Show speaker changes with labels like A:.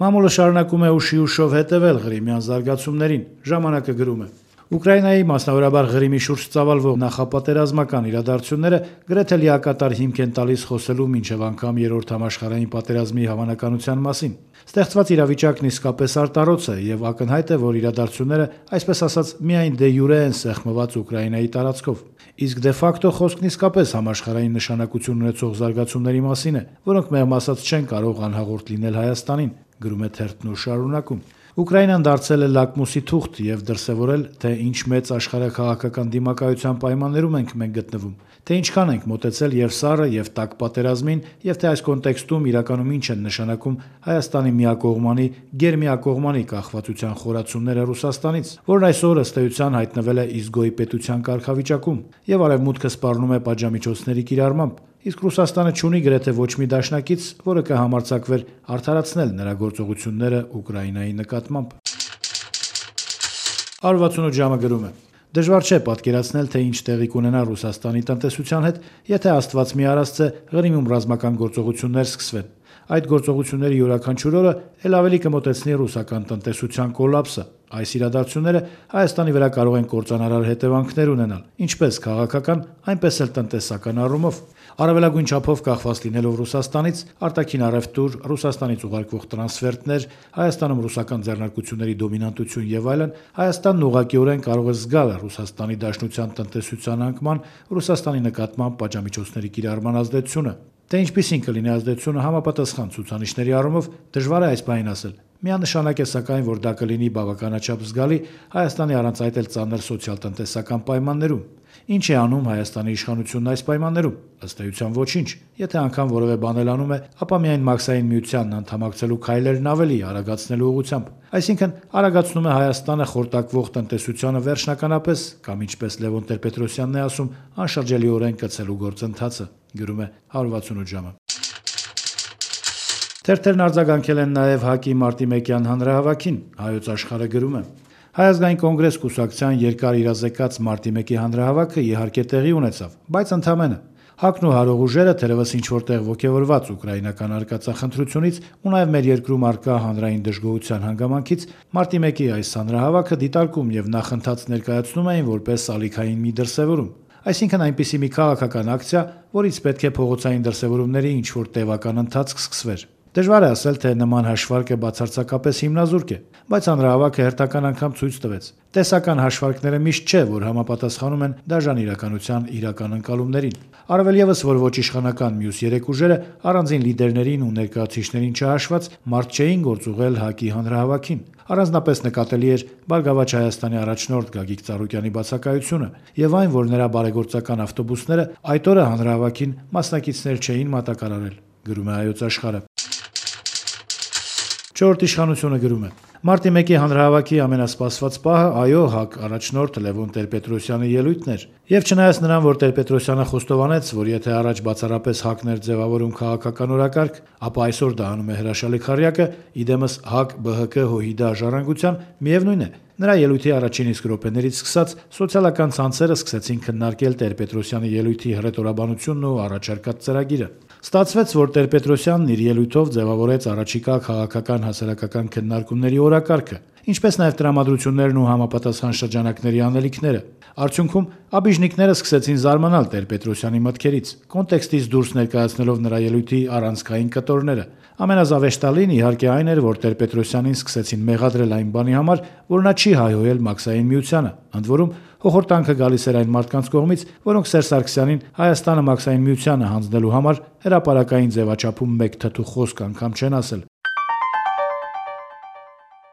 A: Մամուլը շարունակում է ուշի ուշով հետևել Ղրիմյան զարգացումներին, ժամանակը գրում է. Ուկրաինայի, մասնավորաբար Ղրիմի շուրջ ծավալվող նախապատերազմական իրադարձությունները գրեթե լիակատար հիմք են տալիս խոսելու մինչև անգամ երրորդ համաշխարհային պատերազմի հավանականության մասին։ Ստեղծված իրավիճակն իսկապես արտառոց է եւ ակնհայտ է, որ իրադարձությունները, այսպես ասած, միայն դե յուրե են սեղմված Ուկրաինայի տարածքով։ Իսկ դե ֆակտո խոսքն իսկապես համաշխարհային նշանակություն ունեցող զարգացումների մասին է, որոնք մեղմ ասած չեն կարող անհաղորդ լինել Հայաստանին, գրում է թերթն ու շարունակում. Ուկրաինան դարձել է լակմուսի թուղթ եւ դրսեւորել, թե ինչ մեծ աշխարհաքաղաքական դիմակայության պայմաններում ենք մենք գտնվում, թե ինչքան ենք մոտեցել եւ սառը եւ տաք պատերազմին, եւ թե այս կոնտեքստում իրականում ինչ են նշանակում Հայաստանի միակողմանի, գերմիակողմանի կախվածության խորացումները Ռուսաստանից, որն այսօր ըստ էության հայտնվել է իզգոյի պետության կարգավիճակում, եւ արևմուտքը սպառնում է պատժամիջոցների կիրառմամբ, իսկ Ռուսաստանը չունի գրեթե ոչ մի դաշնակից, որը կհամարձակվեր արդարացնել նրա գործողությունները Ուկրաինայի նկատմամբ։ 168 ժամը գրում է. Դժվար չէ պատկերացնել, թե ինչ տեղի կունենա Ռուսաստանի տնտեսության հետ, եթե Աստված մի արածце Ղրիմում ռազմական գործողություններ սկսվեն։ Այդ գործողությունների յուրաքանչյուր օրը ել ավելի կմոտեցնի ռուսական տնտեսության կոլապսը։ Այս իրադարձությունները Հայաստանի վրա կարող են կործանարար հետևանքներ ունենալ, ինչպես քաղաքական, այնպես էլ տնտեսական առումով։ Առավելագույն չափով կախված լինելով Ռուսաստանից, արտաքին առևտուր, Ռուսաստանից ուղարկվող տրանսֆերտներ, Հայաստանում ռուսական ձեռնարկությունների դոմինանտություն եւ այլն, Հայաստանն ուղղակիորեն կարող է զգալ Ռուսաստանի Դաշնության տնտեսության անկման, Ռուսաստանի նկատմամբ պատժամիջոցների կիրառման ազդեցությունը։ Թե ինչպիսին կլինի ազդեցությունը համապատասխան ցուցանիշների առումով դժվար է այս բանին ասել։ Միանշանակ է սակայն, որ դա կլինի բավականաչափ զգալի Հայաստանի առանց այդ էլ ծանր սոցիալ-տնտեսական պայմաններում։ Ինչ է անում Հայաստանի իշխանությունն այս պայմաններում։ Ըստ էության ոչինչ։ Եթե անգամ որևէ բան էլ անում է, ապա միայն Մաքսային միությանն անդամակցելու քայլերն ավելի արագացնելու ուղղությամբ։ Այսինքն արագացնում է Հայաստանը խորտակվող տնտեսությանը վերջնականապես, կամ ինչպես Լևոն Տեր-Պետրոսյանն է ասում, անշրջելիորեն կցելու գործընթացը, գրում է 168 ժամը։ Թերթերն արձագանքել են նաև ՀԱԿ-ի մարտի 1-յան հանրահավաքին, Հայոց Աշխարհը գրում է. Հայ ազգային կոնգրես կուսակցության երկար իրազեկած մարտի 1-ի հանրահավաքը իհարկե տեղի ունեցավ, բայց ընդամենը։ ՀԱԿ-ն ու հարող ուժերը թերևս ինչ-որ տեղ ոգևորված ուկրաինական արկածախնդրությունից ու նաև մեր երկրում առկա հանրային դժգոհության հանգամանքից մարտի 1-ի այս հանրահավաքը դիտարկում եւ նախընթաց ներկայացնում էին որպես ալիքային մի դրսեւորում։ Այսինքն այնպիսի մի քաղաքական ակցիա, որից պետք է փողոցային դրսևորումների ինչ-որ տևական ընթացք սկսվեր։ Դժվար է ասել, թե նման հաշվարկը բացարձակապես հիմնազուրկ է, բայց հանրահավաքը հերթական անգամ ցույց տվեց. տեսական հաշվարկները միշտ չէ, որ համապատասխանում են դաժան իրականության իրական ընկալումներին։ Առավել եւս, որ ոչ իշխանական մյուս երեք ուժերը առանձին լիդերներին ու ներկայացուցիչներին չհաշված մարդ չէին գործուղել ՀԱԿ-ի հանրահավաքին։ Առանձնապես նկատելի էր Բարգավաճ Հայաստանի առաջնորդ Գագիկ Ծառուկյանի բացակայությունը եւ այն, որ նրա բարեգործական ավտոբուսները այդ օրը հանրահավաքին մասնակիցներ չէին մատակարարել, գրում է Հայոց Աշխարհը։ Չորրորդ իշխանությունը գրում է. Մարտի 1-ի հանրահավաքի ամենասպասված պահը այո ՀԱԿ առաջնորդ Լևոն Տեր-Պետրոսյանի ելույթն էր։ Եվ չնայած նրան, որ Տեր-Պետրոսյանը խոստովանեց, որ եթե առաջ բացառապես ՀԱԿ-ն էր ձևավորում քաղաքական օրակարգ, ապա այսօր դա անում է հրաշալի քառյակը, իդեմս ՀԱԿ-ԲՀԿ-ՀՅԴ ժառանգության, միևնույն է, նրա ելույթի առաջին իսկ րոպեներից սկսած սոցիալական ցանցերը սկսեցին քննարկել Տեր-Պետրոսյանի ելույթի հռետորաբանությունն ու առաջարկած ծրագիրը։ Ստացվեց, որ Տեր-Պետրոսյանն իր ելույթով ձևավորեց առաջիկա քաղաքական հասարակական քննարկումների օրակարգը, ինչպես նաև տրամադրություններն ու համապատասխան շրջանակների անելիքները։ Արդյունքում աբիժնիկները սկսեցին զարմանալ Տեր-Պետրոսյանի մտքերից, կոնտեքստից դուրս ներկայացնելով նրա ելույթի առանցքային կտորները։ Ամենազավեշտալին իհարկե այն էր, որ Տեր-Պետրոսյանին սկսեցին մեղադրել այն բանի համար, որ նա չի հայհոյել Մաքսային միությանը, ընդ որում հոխորտանքը գալիս էր այն մարդկանց կողմից, որոնք Սերժ Սարգսյանին Հայաստանը Մաքսային միությանը հանձնելու համար հրապարակային ձևաչափում մեկ թթու խոսք անգամ չեն ասել։